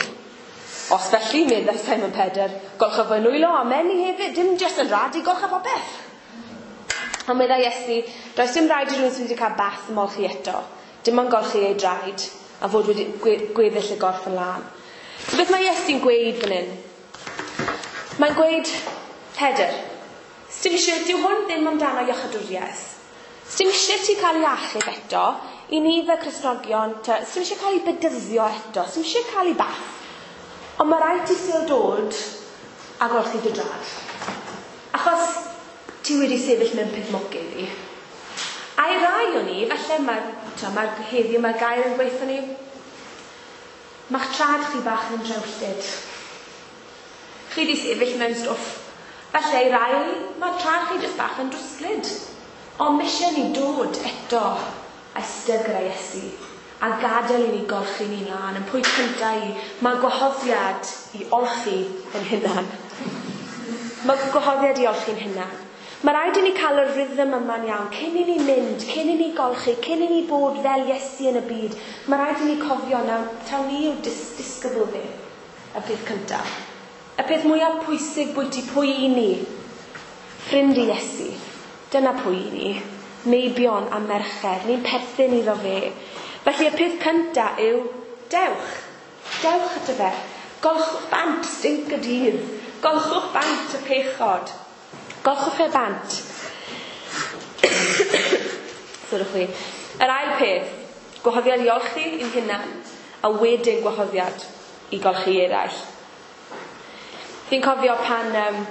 Os felly, meddai Simon Pedr, golcha fy nwylo a meni hefyd, dim jyst yn rad i golcha popeth. Ond meddai Iesu, does dim rhaid i rhywun sydd wedi cael bath ymolchi eto, dim ond golchi ei draed, a fod wedi gweddill y gorff yn lân. So beth mae Iesu'n gweud fan hyn? Mae'n gweud, Pedr, sdim eisiau, dyw hwn ddim amdano iachadwriaeth. Sdim eisiau ti cael ei achub eto I ni fel Cristnogion, sy'n eisiau cael ei bedyddio eto, sy'n eisiau cael ei bath. Ond mae rhaid ti still dod a golchi dy drad. Achos ti wedi sefyll mewn peth mwg iddi. A i rai o ni, falle mae, mae heddiw mae'r gair yn gweithio ni, mae'ch trad chi bach yn drewllyd. Chi wedi sefyll mewn stwff. Falle i rai o ni, mae trad chi jyst bach yn drwslyd. Ond mae eisiau ni dod eto a eistedd gyda Iesu a gadael i ni golchi ni'n lan. Yn pwynt cyntaf i, mae gwahoddiad i olchi yn hunan. Mae gwahoddiad i olchi'n hunan. Mae rhaid i ni cael y rhythm yma'n iawn, cyn i ni mynd, cyn i ni golchi, cyn i ni bod fel Iesu yn y byd. Mae rhaid i ni cofio nawr, taw ni yw dis disgybl fe, y peth cyntaf. Y peth mwyaf pwysig bwyty pwy i ni, ffrind i Iesu, dyna pwy i ni, meibion a merched, ni'n perthyn iddo fe. Felly y peth cyntaf yw, dewch, dewch ato fe, golchwch bant stinc y dydd, golchwch bant y pechod, golchwch e bant. Sylwch chi. Yr ail peth, gwahoddiad i olchi i'n hunan, a wedyn gwahoddiad i golchi eraill. Fi'n cofio pan um,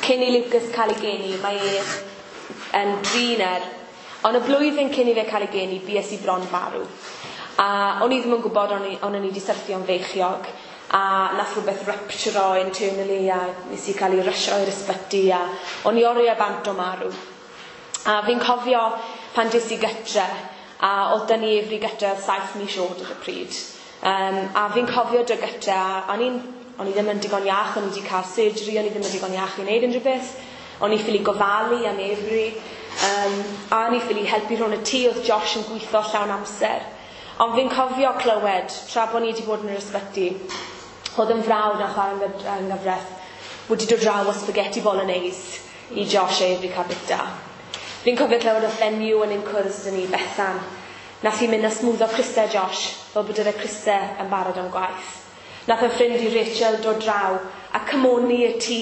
cyn i Lucas cael ei geni, mae e yn driner, ond y blwyddyn cyn i fe cael ei geni, bues i bron farw. A o'n i ddim yn gwybod, o'n i, o'n i wedi syrthio'n feichiog, a nath rhywbeth rupture internally, a nes i cael ei rysio i'r ysbyty, a o'n i oriau bant o marw. A fi'n cofio pan des i gytre, a oedd dyn ni Efri gytre oedd saith mis oed ar y pryd. Um, a fi'n cofio dy gytre, a o'n i'n o'n i ddim yn digon iach, o'n i wedi cael surgery, o'n i ddim yn digon iach i wneud unrhyw beth. O'n i ffili gofalu am Efri, um, a o'n i ffili helpu rhwng y tŷ, oedd Josh yn gweithio llawn amser. Ond fi'n cofio clywed, tra bod ni wedi bod yn yr ysbyty, oedd yn frawd yn chwarae yng nghyfraith wedi dod draw o spaghetti bolognese i Josh a Efri cael bita. Fi'n cofio clywed o fenyw yn ein cwrs dyn ni, Bethan. Nath hi mynd a smwddo crysau Josh, fel bod yr crysau yn barod am gwaith. Nath y ffrind i Rachel dod draw a cymoni y tŷ,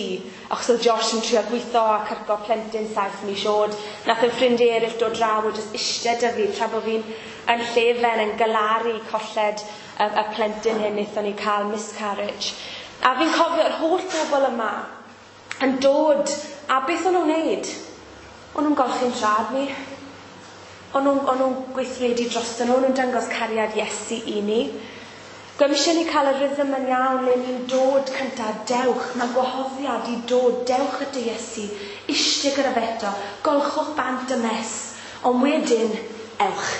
achos oedd Josh yn trio gweithio a cyrco plentyn saith mis oed. Nath y ffrind eraill dod draw a jyst eistedd 'da fi tra bod fi'n yn llefen yn galaru colled y, y plentyn hyn wnaethon ni cael miscarriage. A fi'n cofio'r holl bobl yma yn dod, a beth o'n nhw'n wneud? O'n nhw'n golchi'n trad fi. O'n nhw'n, o'n nhw'n gweithredu drosto nhw, o'n nhw'n dangos cariad Iesu i ni. Gwem eisiau ni cael y rhythm yn iawn le ni'n dod cyntaf, dewch, mae gwahoddiad i dod, dewch at y Iesu, eistedd gyda fe eto, golchwch bant y mess, ond wedyn, ewch.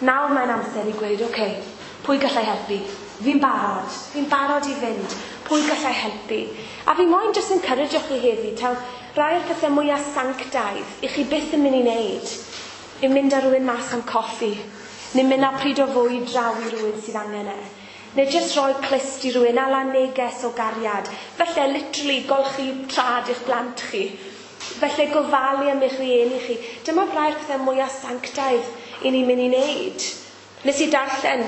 Nawr mae'n amser i gweud, oce, okay, pwy gallai helpu? Fi'n barod, fi'n barod i fynd, pwy gallai helpu? A fi moyn jyst encourage chi heddi, taw rai o'r pethau mwyaf sanctaidd i chi byth yn mynd i wneud, yw mynd â rhywun mas am coffi, neu mynd â pryd o fwyd draw i rhywun sydd angen e. Neu jyst rhoi clust i rhywun, ala neges o gariad. Felly, literally, golchi trad i'ch blant chi. Felly, gofalu am eich rieni chi. Dyma rhai'r pethau mwyaf sanctaidd i ni'n mynd i wneud. Nes i darllen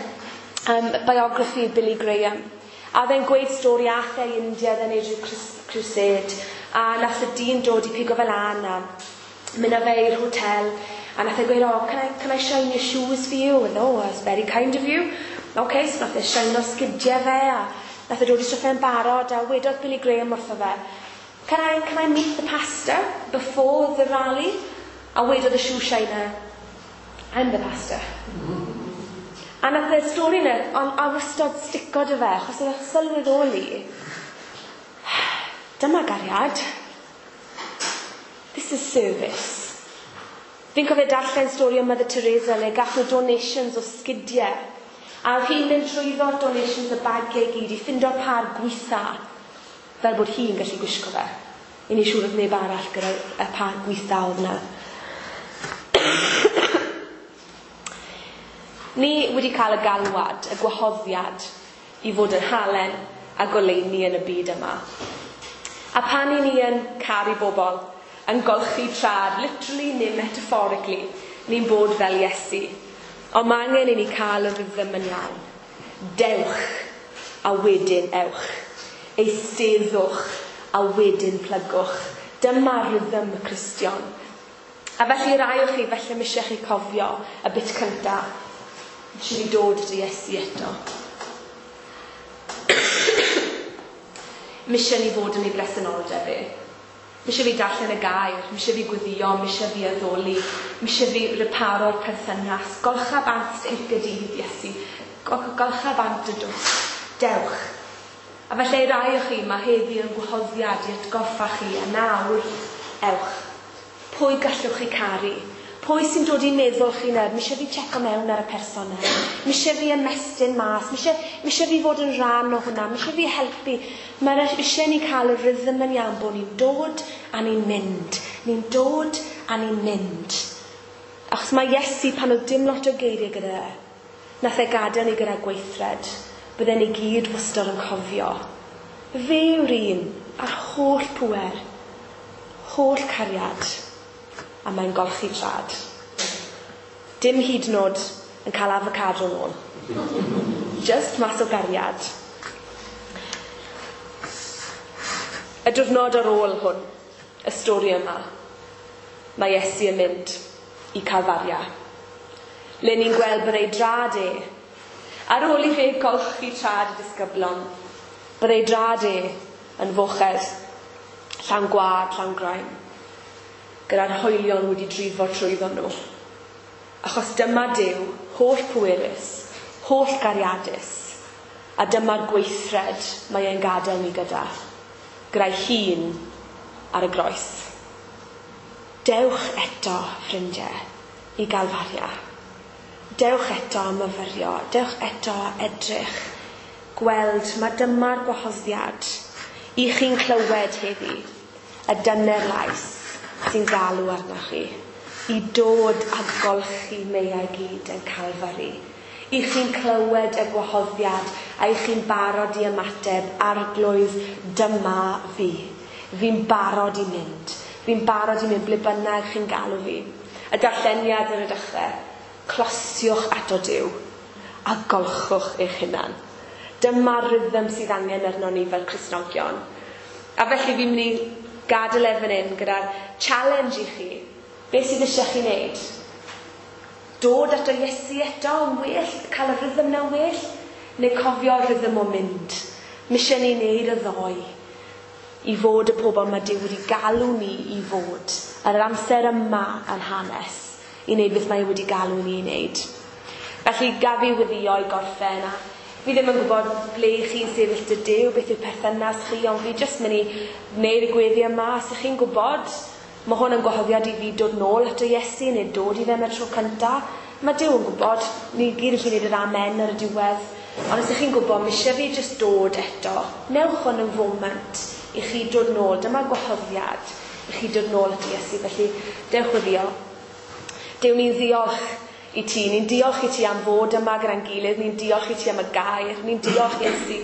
um, biography Billy Graham. A oedd e'n gweud stori ath e i India, oedd e'n neud rhyw crusade. A nath y dyn dod i pigo fel lan a mynd â fe i'r hotel. A nath e gweud, oh, can I, can I shine your shoes for you? And oh, that's very kind of you. OK, so nath e shine o sgidiau fe, a nath e dod i stwff e'n barod, a wedodd Billy Graham wrtho fe, can I, can I meet the pastor before the rally? A wedodd y shoe shiner, I'm the pastor. A nath y stori yna, ond a wastad stico dy fe, achos oedd e'n sylweddoli, dyma gariad. This is service. Fi'n cofio darllen stori o Mother Teresa le gath nhw donations o sgidiau. A oedd hi'n mynd trwyddo'r donations y bagiau i gyd i ffindo'r par gwitha fel bod hi'n gallu gwisgo fe. I ni siŵr oedd neb arall gyda y par gwitha oedd yna. Ni wedi cael y galwad, y gwahoddiad i fod yn halen a goleuni yn y byd yma. A pan i ni yn caru bobl, yn golchi trad, literally neu metaphorically, ni'n bod fel Iesu. Ond mae angen i ni cael y rhythm yn iawn. Dewch a wedyn ewch. Eisteddwch a wedyn plygwch. Dyma rhythm y Cristion. A felly rai o chi, felly mi eisiau chi cofio y bit cynta. Eisiau ni dod at Iesu eto. Mi eisiau ni fod yn ei bresenoldeb e. Mi eisiau fi darllen y gair, mi eisiau fi gweddio, mi eisiau fi addoli, mi eisiau fi reparo'r perthynas. Golcha bant inc y dydd, Iesu. Golcha bant y dwst. Dewch. A felly rai o chi, mae heddi yn gwahoddiad i atgoffa chi, a nawr, ewch. Pwy gallwch chi caru? Pwy sy'n dod i meddwl chi nawr? Mi eisiau fi checo mewn ar y person yna. Mi eisiau fi ymestyn mas. Mi eisiau, mi eisiau fi fod yn rhan o hwnna. Mi eisiau fi helpu. Mae eisiau ni cael y rhythm yn iawn bod ni'n dod a ni'n mynd. Ni'n dod a ni'n mynd. Achos mae Iesu, pan oedd dim lot o geiriau gyda e, nath e gadael ni gyda gweithred. Bydden ni gyd wastad yn cofio. Fe yw'r un a'r holl pŵer, holl cariad, a mae'n golchi trad. Dim hyd yn oed yn cael avocado nôl. Just mas o gariad. Y diwrnod ar ôl hwn, y stori yma, mae Iesu yn mynd i Calfaria. Le ni'n gweld bod ei drad e, ar ôl i fe golchi trad y disgyblon, bod ei drad e yn fochedd, llawn gwad, llawn graen, gyda'r hoelion wedi drifo trwyddo nhw. Achos dyma Duw, holl pwerus, holl gariadus, a dyma'r gweithred mae e'n gadael ni gyda, gyda'i hun ar y groes. Dewch eto, ffrindiau, i Galfaria. Dewch eto a myfyrio, dewch eto a edrych, gweld mae dyma'r gwahoddiad i chi'n clywed heddi, y dyner lais sy'n galw arnoch chi, i dod a golchi meiau gyd yn Calfari. I chi'n clywed y gwahoddiad a i chi'n barod i ymateb, Arglwydd, dyma fi. Fi'n barod i mynd. Fi'n barod i mynd ble bynnag chi'n galw fi. Y darlleniad ar y dechrau, closiwch ato Duw a golchwch eich hunan. Dyma'r rhythm sydd angen arno ni fel Cristnogion. A felly fi'n mynd i gadael e fan hyn gyda'r challenge i chi. Beth sydd eisiau chi wneud? Dod ato Iesu eto yn well, cael y rhythm na well, neu cofio'r rhythm o mynd. Mi eisiau ni wneud y ddoi i fod y pobl mae Duw wedi galw ni i fod ar yr amser yma yn hanes i wneud beth mae wedi galw ni i wneud. Felly gaf fi weddïo i gorffen, a fi ddim yn gwybod ble chi'n sefyll dy Duw, beth yw perthynas chi, ond fi jyst mynd i wneud y gweddi yma. Os ych chi'n gwybod, mae hwn yn gwahoddiad i fi dod nôl ato Iesu neu dod i fe am y tro cynta. Mae Duw yn gwybod, ni gyd yn gallu gwneud yr amen ar y diwedd. Ond os ych chi'n gwybod, mae eisiau fi jyst dod eto. Newch hwn yn foment i chi dod nôl. Dyma gwahoddiad i chi dod nôl at Iesu. Felly, dewch weddïo. Duw, ni'n ddiolch i ti. Ni'n diolch i ti am fod yma gyda'n gilydd. Ni'n diolch i ti am y gair. Ni'n diolch Iesu.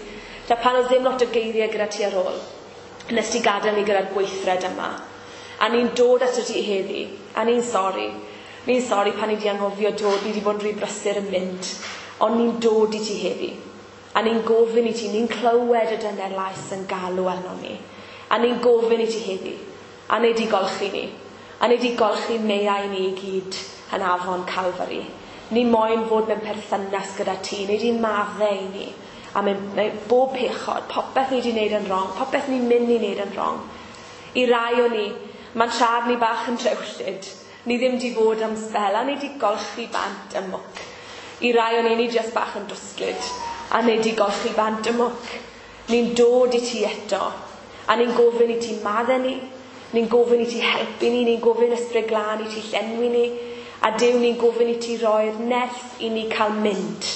Da pan oedd ddim lot o geiriau gyda ti ar ôl, nes ti gadael ni gyda'r gweithred yma. A ni'n dod ato ti heddi. A ni'n sori. Ni'n sori pan ni wedi anghofio dod. Ni wedi bod yn rhy brysur yn mynd. Ond ni'n dod i ti heddi. A ni'n gofyn i ti. Ni'n clywed y dyner lais yn galw arno ni. A ni'n gofyn i ti heddi. A nei di golchi ni. A nei di golchi meiau ni i gyd yn afon Calfari. Ni moyn fod mewn perthynas gyda ti. Nei di maddau i ni. A mewn, mewn bob pechod, popeth ni wedi wneud yn wrong, popeth ni'n mynd i wneud yn wrong. I rai o ni, mae'n trad ni bach yn drewllyd. Ni ddim di fod am sbel, a nei di golchi bant y mwc. I rai o ni, ni jyst bach yn dwsglyd, a nei di golchi bant y mwc. Ni'n dod i ti eto, a ni'n gofyn i ti maddau ni, ni'n gofyn i ti helpu ni, ni'n gofyn Ysbryd Glân i ti llenwi ni, a Duw, ni'n gofyn i ti roi'r nerth i ni cael mynd,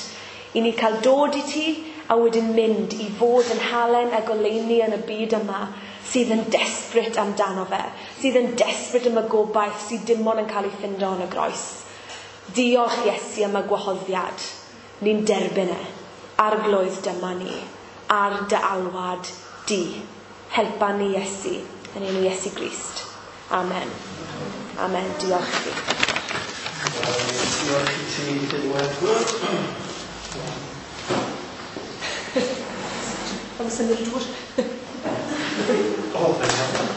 i ni cael dod i ti, a wedyn mynd i fod yn halen a goleuni yn y byd yma sydd yn desperate amdano fe, sydd yn desperate am y gobaith sydd dim ond yn cael ei ffindo yn y groes. Diolch Iesu am y gwahoddiad. Ni'n derbyn e. Arglwydd, dyma ni. Ar dy alwad di. Helpa ni Iesu. Yn enw Iesu Grist. Amen. Amen. Diolch i ti.
Diolch i ti, Dilwen.
Am symud dŵr.
O, fe'n iawn.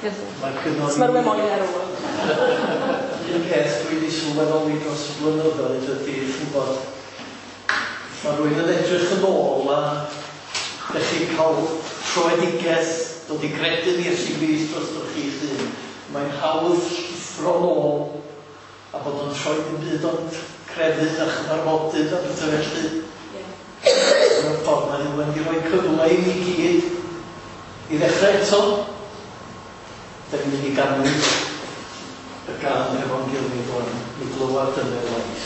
Mae gynnon
Os mae rhywun moyn ar ôl.
Un peth dwi wedi sylweddoli dros y blynyddoedd ydy, chi'n gwybod, mae rhywun yn edrych yn ôl a dych chi'n cael troedigaeth, dod i gredu yn Iesu Grist drostoch chi'ch hun. Mae'n hawdd llithro nôl a bod yn troi ddim byd ond crefydd a chyfarfodydd a pethau felly. Mewn ffordd mae Heulwen wedi rhoi cyfle i ni gyd i ddechrau eto. Da ni'n mynd i ganu y gân efo'n gilydd rwan, i glywed yn ei lais.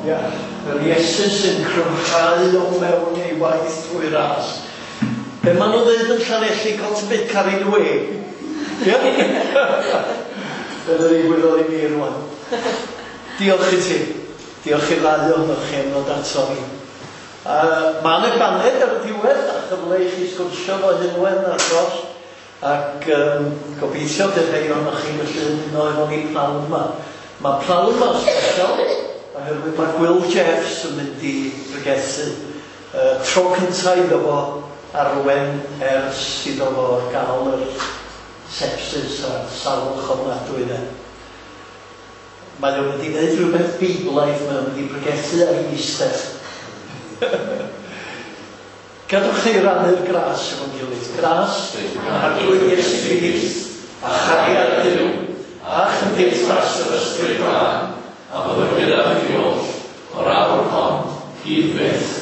Ia, yr Iesu sy'n cryfhau o mewn ei waith drwy ras. Be maen nhw'n dweud yn Llanelli, got a bit carried away. Ia? Dyna ddigwyddodd i mi rwan. Diolch i ti. Diolch i'r ddau ohonoch chi am ddod ato ni. Uh, Mae yna baned ar y diwedd a chyfle i chi sgwrsio fo Heulwen ar dros. Ac um, gobeithio bydd rhai ohonoch chi'n gallu ymuno efo ni pnawn yma. Mae pnawn yma special, oherwydd mae Gwil Jeffs yn mynd i bregethu. Uh, tro cyntaf iddo fo arwen ers iddo fo gael yr sepsis a salwch ofnadwy yna. Mae o'n mynd i wneud rhywbeth beiblaidd, mae o'n mynd i bregethu ar Easter. Gadwch chi rannu'r gras efo'n gilydd. Gras, Arglwydd Iesu Grist, a chariad Duw, a chymdeithas yr Ysbryd Glân,
a fyddo gyda chi oll, o'r awr hon, hyd byth.